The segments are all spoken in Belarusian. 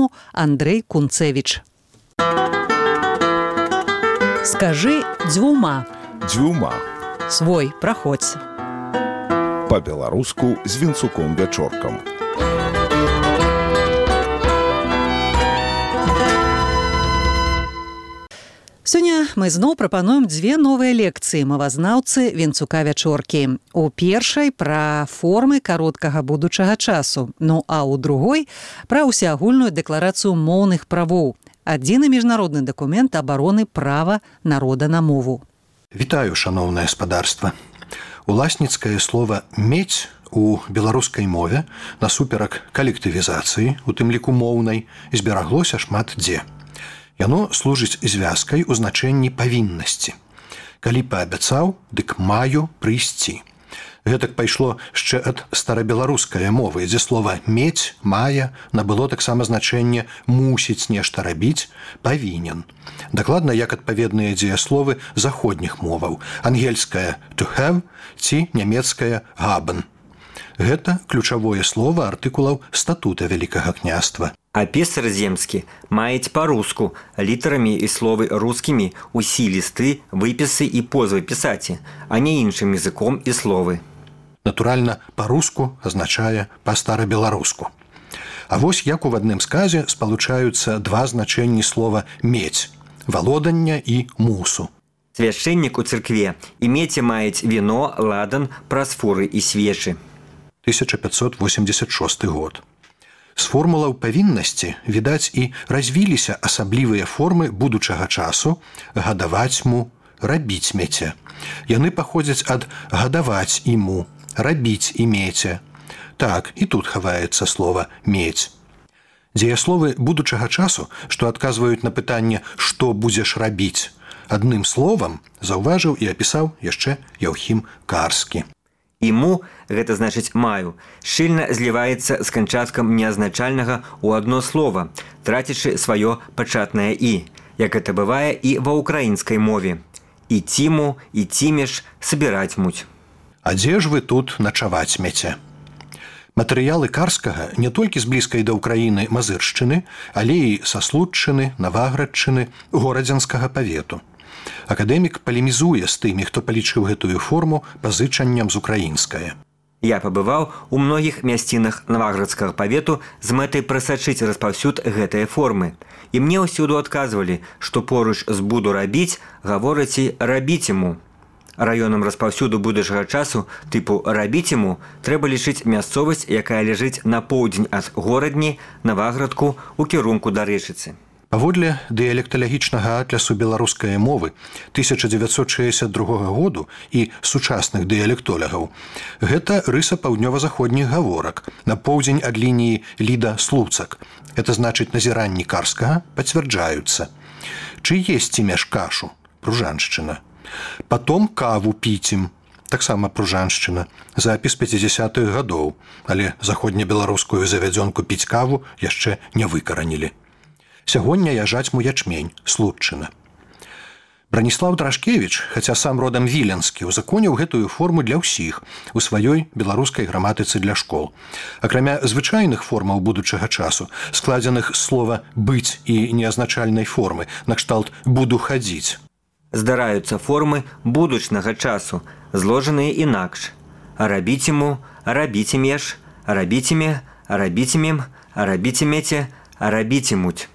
форуму Андрэй Кунцевіч. Скажы дзвюма. Дзвюма. Свой, праходзь. Па-беларуску з Вінцуком-Вячоркам. Сёння мы зноў прапануем дзве новыя лекцыі мовазнаўцы Вінцука-Вячоркі. У першай пра формы кароткага будучага часу, ну а ў другой пра ўсеагульную дэкларацыю моўных правоў. Адзіны міжнародны дакумент абароны права народа на мову. Вітаю, шаноўнае спадарства. Уласніцкае слова «мець» у беларускай мове насуперак калектывізацыі, у тым ліку моўнай, збераглося шмат дзе. Яно служыць звязкай у значэнні павіннасці. Калі паабяцаў, дык маю прыйсці. Гэтак пайшло яшчэ ад старабеларускай мовы, дзе слова «мець», «мае» набыло таксама значэнне «мусіць нешта рабіць», «павінен». Дакладна як адпаведныя дзеясловы заходніх моваў, ангельская «to have» ці нямецкая «haben». Гэта ключавое слова артыкулаў статута Вялікага княства. А пісар земскі маюць па-руску літарамі і словы рускімі ўсі лісты, выпісы і позвы пісаці, а не іншым языком і словы. Натуральна, па-руску азначае па-старабеларуску. А вось як у адным сказе спалучаюцца два значэнні слова «мець» – валодання і «мусу». Свяшчэннік у царкве і меці маюць віно, ладан, прасфуры і свечы. 1586 год. З формулаў павіннасці, відаць, і развіліся асаблівыя формы будучага часу «гадаваць му», «рабіць меце». Яны паходзяць ад «гадаваць іму», «рабіць імеце». Так, і тут хаваецца слова «мець». Дзеясловы будучага часу, што адказваюць на пытанне «што будзеш рабіць», адным словам заўважыў і апісаў яшчэ Яўхім Карскі. «Іму» – гэта значыць «маю», шчыльна зліваецца з канчаткам неазначальнага ў адно слова, трацячы сваё пачатнае «і», як гэта бывае і ва ўкраінскай мове. «Ітіму», «ітімеш», «сабіраць муць». А дзе ж вы тут начаваць меце? Матэрыялы Карскага не толькі з блізкай да ўкраіны Мазыршчыны, але і са Слуцчыны, Наваградчыны, Горадзенскага павету. Акадэмік палемізуе з тымі, хто палічыў гэтую форму пазычаннем з украінскае. Я пабываў у многіх мясцінах Наваградскага павету з мэтай прасачыць распаўсюд гэтай формы. І мне ўсюду адказвалі, што поруч з «буду рабіць» гавораць і «рабіць іму». Раёнам распаўсюду будучага часу тыпу «рабіць іму» трэба лічыць мясцовасць, якая ляжыць на поўдзень ад Горадні, Наваградку ў кірунку да Рэчыцы. Паводле дыялекталагічнага атлясу беларускай мовы 1962 году і сучасных дыялектолягаў, гэта рыса паўднёва-заходніх гаворак на поўдзень ад лініі Ліда-Слуцак. Это значыць назіранні Карскага пацвярджаюцца. Чы есці меш кашу? Пружаншчына. Потом каву піцім. Таксама пружаншчына. Запіс 50-х гадоў. Але заходнебеларускую завядзёнку піць каву яшчэ не выкаранілі. Сягоння яжаць му ячмень, Слуцчына. Браніслаў Драшкевіч, хаця сам родам віленскі, узаконіў гэтую форму для ўсіх у сваёй беларускай граматыцы для школ. Акрамя звычайных формаў будучага часу, складзеных з слова «быць» і неазначальнай формы, накшталт «буду хадзіць». Здараюцца формы будучнага часу, зложаныя інакш. Рабіць іму, рабіць імеш, рабіць іме, рабіць імем, рабіць імеце, рабіць імуць.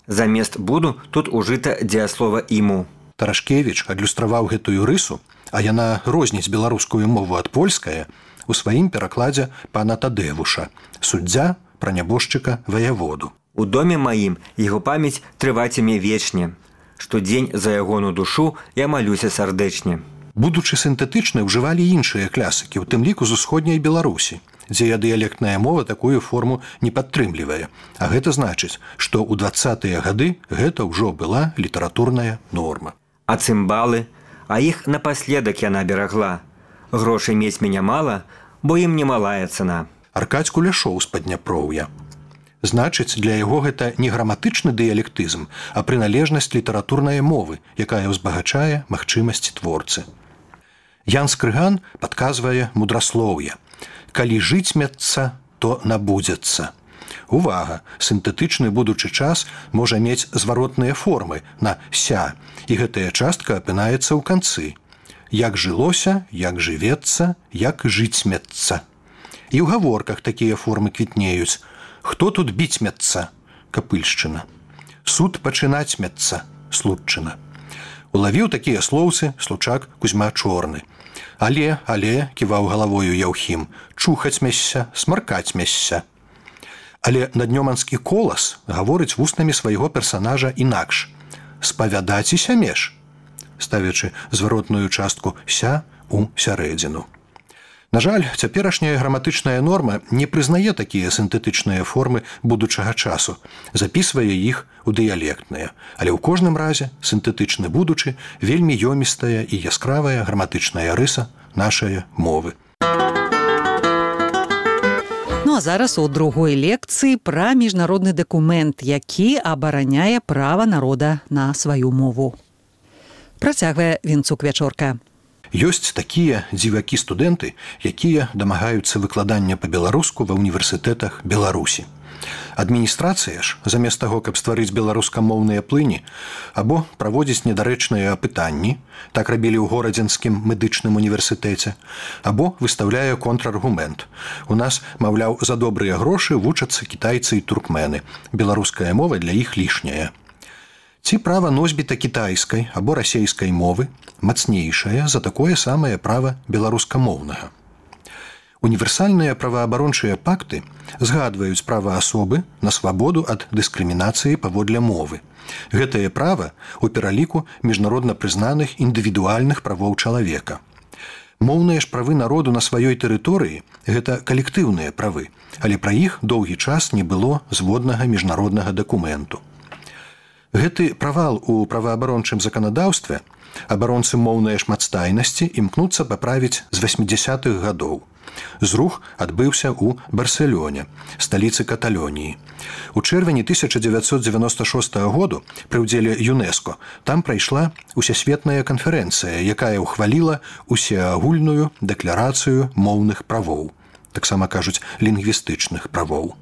Замест «буду» тут ужыта дзеяслова «іму». Тарашкевіч адлюстраваў гэтую рысу, а яна розніць беларускую мову ад польскае у сваім перакладзе пана Тадэвуша, суддзя пра нябожчыка ваяводу. У доме маім яго памяць трывацімі вечне. Штодзень за ягону душу я малюся сардэчне. Будучы сінтэтычны, ўжывалі іншыя клясыкі, у тым ліку з усходняй Беларусі, дзе дыялектная мова такую форму не падтрымлівае. А гэта значыць, што ў 20-тыя гады гэта ўжо была літаратурная норма. А цымбалы? А іх напаследак яна берагла. Грошай мець мяне мала, бо ім немалая цана. Аркадзь Куляшоў з Падняпроўя. Значыць, для яго гэта не граматычны дыялектызм, а прыналежнасць літаратурнай мовы, якая ўзбагачае магчымасці творцы. Ян Скрыган падказвае мудраслоўе. Калі жыць мецца, то набудзецца. Увага! Сінтэтычны будучы час можа мець зваротныя формы на «ся», і гэтая частка апынаецца ў канцы. Як жылося, як жывецца, як жыцьмецца. І ў гаворках такія формы квітнеюць. Хто тут біцьмецца? Капыльшчына. Суд пачынацьмецца? Слудчына. Улавіў такія слоўцы случак Кузьма Чорны. Але, ківаў галавою Яўхім, чухаць-мясся, смаркаць-мясся. Але наднёманскі колас гаворыць вуснамі свайго персанажа інакш. Спавядаціся меж, ставячы зваротную частку «ся» у сярэдзіну. На жаль, цяперашняя граматычная норма не прызнае такія сінтэтычныя формы будучага часу, запісвае іх у дыялектныя, але ў кожным разе сінтэтычны будучы вельмі ёмістая і яскравая граматычная рыса нашай мовы. Ну а зараз у другой лекцыі пра міжнародны дакумент, які абараняе права народа на сваю мову. Працягвае Вінцук-Вячорка. Ёсць такія дзівакі-студэнты, якія дамагаюцца выкладання па-беларуску ва ўніверсітэтах Беларусі. Адміністрацыя ж, замест таго, каб стварыць беларускамоўныя плыні, або праводзіць недарэчныя апытанні, так рабілі ў Горадзенскім медычным універсітэце, або выстаўляе контраргумент. У нас, маўляў, за добрыя грошы вучацца кітайцы і туркмены. Беларуская мова для іх лішняя. Ці права носьбіта кітайскай або расейскай мовы мацнейшае за такое самае права беларускамоўнага. Універсальныя праваабарончыя пакты згадваюць права асобы на свабоду ад дыскрымінацыі паводле мовы. Гэтае права ў пераліку міжнародна прызнаных індывідуальных правоў чалавека. Моўныя ж правы народу на сваёй тэрыторыі – гэта калектыўныя правы, але пра іх доўгі час не было зводнага міжнароднага дакументу. Гэты правал у праваабарончым заканадаўстве абаронцы моўнай шматстайнасці імкнуцца паправіць з 80-х гадоў. Зрух адбыўся ў Барселоне, сталіцы Каталоніі. У чэрвені 1996 году пры ўдзеле ЮНЕСКО там прайшла усесветная канферэнцыя, якая ўхваліла усеагульную дэкларацыю моўных правоў, таксама кажуць лінгвістычных правоў.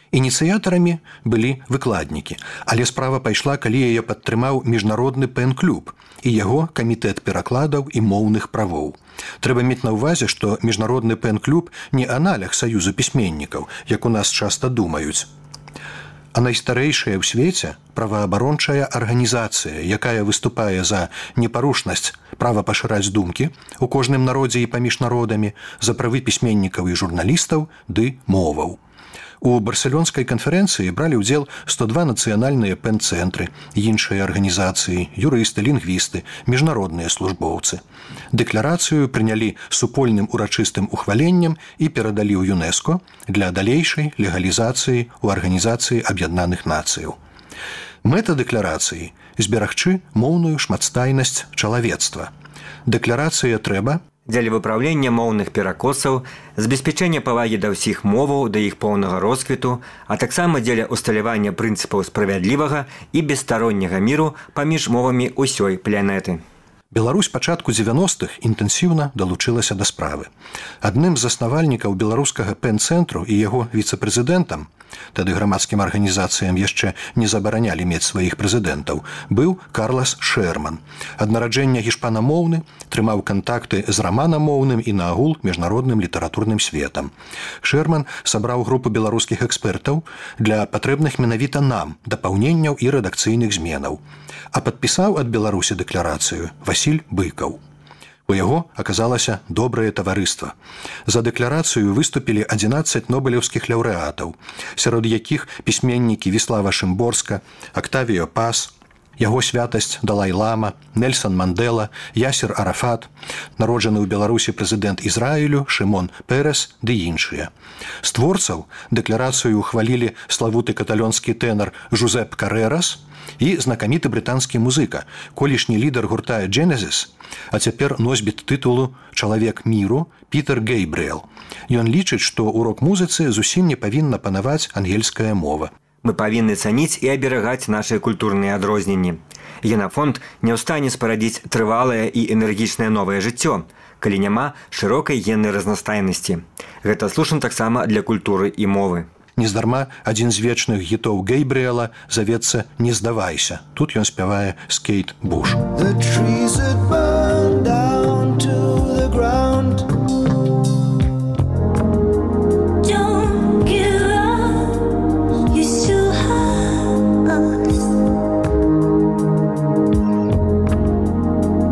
Ініцыятарамі былі выкладнікі, але справа пайшла, калі яе падтрымаў міжнародны пэн-клуб і яго камітэт перакладаў і моўных правоў. Трэба мець на ўвазе, што міжнародны пэн-клуб не аналаг саюзу пісьменнікаў, як у нас часта думаюць, а найстарэйшая ў свеце праваабарончая арганізацыя, якая выступае за непарушнасць права пашыраць думкі ў кожным народзе і паміж народамі, за правы пісьменнікаў і журналістаў ды моваў. У барселонскай канферэнцыі бралі ўдзел 102 нацыянальныя пэн-цэнтры, іншыя арганізацыі, юрысты, лінгвісты, міжнародныя службоўцы. Дэкларацыю прынялі супольным урачыстым ухваленнем і перадалі ў ЮНЕСКО для далейшай легалізацыі ў Арганізацыі Аб'яднаных Нацыяў. Мэта дэкларацыі – зберагчы моўную шматстайнасць чалавецтва. Дэкларацыя трэба дзеля выпраўлення моўных перакосаў, забеспячэння павагі да ўсіх моваў, да іх поўнага росквіту, а таксама дзеля усталявання прынцыпаў справядлівага і бесстаронняга міру паміж мовамі ўсёй планеты. Беларусь пачатку 90-х інтэнсіўна далучылася да справы. Адным з заснавальнікаў беларускага пэн-цэнтру і яго віцэ-прэзідэнтам, тады грамадскім арганізацыям яшчэ не забаранялі мець сваіх прэзідэнтаў, быў Карлас Шерман. Ад нараджэння гішпанамоўны, трымаў кантакты з раманамоўным і наагул міжнародным літаратурным светам. Шерман сабраў групу беларускіх экспертаў для патрэбных менавіта нам дапаўненняў і рэдакцыйных зменаў, а падпісаў ад Беларусі дэкларацыю Васіль Быкаў. У яго аказалася добрае таварыства. За дэкларацыю выступілі 11 нобелеўскіх лаўрэатаў, сярод якіх пісьменнікі Віслава Шымборска, Октавіо Пас, яго святасць Далай-лама, Нельсан Мандела, Ясер Арафат, народжаны ў Беларусі прэзідэнт Ізраілю Шымон Перес ды іншыя. З творцаў дэкларацыю ухвалілі славуты каталонскі тэнар Жузеп Карерас і знакаміты брытанскі музыка, колішні лідар гурта Genesis, а цяпер носьбіт тытулу «Чалавек міру» Пітер Гейбріэл. Ён лічыць, што ў рок-музыцы зусім не павінна панаваць ангельская мова. Мы павінны цаніць і аберагаць нашыя культурныя адрозненні. Генафонд не ў стане спарадзіць трывалае і энергічнае новае жыццё, калі няма шырокай геннай разнастайнасці. Гэта слушна таксама для культуры і мовы. Нездарма адзін з вечных гітоў Гейбріэла завецца «Не здавайся». Тут ён спявае з Кейт Буш. The trees that burn down to the ground. Don't give up, you still have us.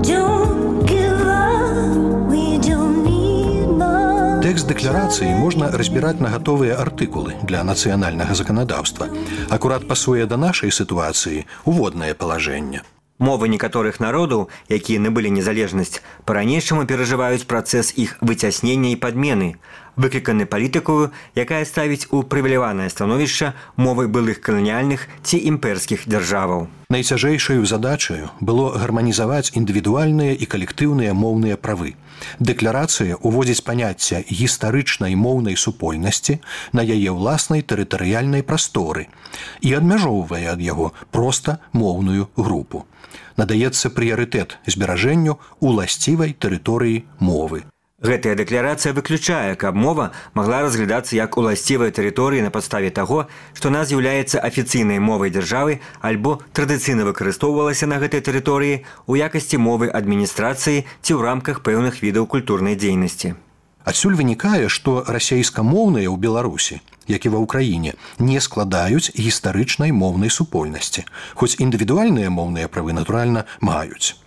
Don't give up, we don't need more. Тэкст дэкларацыі можна разбіраць на гатовыя артыкулы для нацыянальнага заканадаўства. Акурат пасуе да нашай сітуацыі уводнае палажэнне. Мовы некаторых народаў, якія набылі незалежнасць, па-ранейшаму перажываюць працэс іх выцяснення і падмены, выкліканы палітыкаю, якая ставіць у прывіляванае становішча мовы былых каланіяльных ці імперскіх дзяржаваў. Найцяжэйшаю задачаю было гарманізаваць індывідуальныя і калектыўныя моўныя правы. Дэкларацыя ўводзіць паняцце гістарычнай моўнай супольнасці на яе ўласнай тэрытарыяльнай прасторы і адмяжоўвае ад яго проста моўную групу. Надаецца прыярытэт зберажэнню уласцівай тэрыторыі мовы. Гэтая дэкларацыя выключае, каб мова магла разглядацца як уласцівая тэрыторыя на падставе таго, што она з'яўляецца афіцыйнай мовай дзяржавы альбо традыцыйна выкарыстоўвалася на гэтай тэрыторыі ў якасці мовы адміністрацыі ці ў рамках пэўных відаў культурнай дзейнасці. Адсюль вынікае, што расейскамоўныя ў Беларусі, як і ва ўкраіне, не складаюць гістарычнай моўнай супольнасці, хоць індывідуальныя моўныя правы, натуральна, маюць.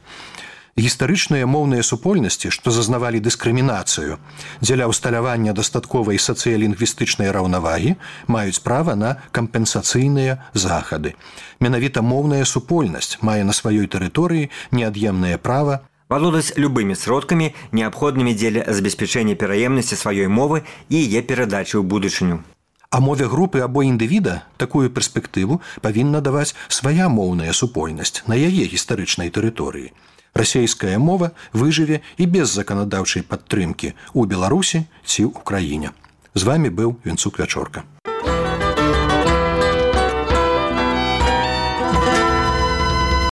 Гістарычныя моўныя супольнасці, што зазнавалі дыскрымінацыю, дзеля ўсталявання дастатковай сацыялінгвістычнай раўнавагі, маюць права на кампенсацыйныя захады. Менавіта моўная супольнасць мае на сваёй тэрыторыі неад'емнае права валодаць любымі сродкамі, неабходнымі дзеля забеспячэння пераемнасці сваёй мовы і яе перадачы ў будучыню. А мове групы або індывіда такую перспектыву павінна даваць свая моўная супольнасць на яе гістарычнай тэрыторыі. Расейская мова выжыве і без заканадаўчай падтрымкі ў Беларусі ці ў краіне. З вамі быў Венцук Вячорка.